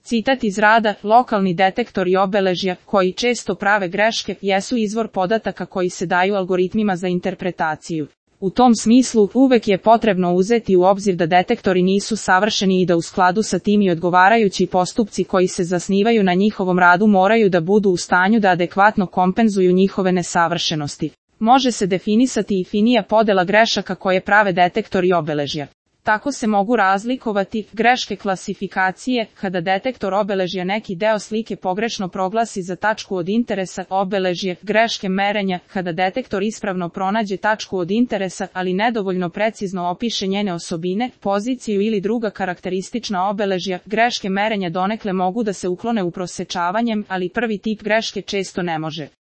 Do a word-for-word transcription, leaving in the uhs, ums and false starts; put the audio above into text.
Citat iz rada: lokalni detektori obeležja, koji često prave greške, jesu izvor podataka koji se daju algoritmima za interpretaciju. U tom smislu, uvek je potrebno uzeti u obzir da detektori nisu savršeni i da u skladu sa tim i odgovarajući postupci koji se zasnivaju na njihovom radu moraju da budu u stanju da adekvatno kompenzuju njihove nesavršenosti. Može se definisati i finija podela grešaka koje prave detektori obeležja. Tako se mogu razlikovati greške klasifikacije, kada detektor obeležja neki deo slike pogrešno proglasi za tačku od interesa, obeležje, greške merenja, kada detektor ispravno pronađe tačku od interesa, ali nedovoljno precizno opiše njene osobine, poziciju ili druga karakteristična obeležja, greške merenja donekle mogu da se uklone uprosečavanjem, ali prvi tip greške često ne može.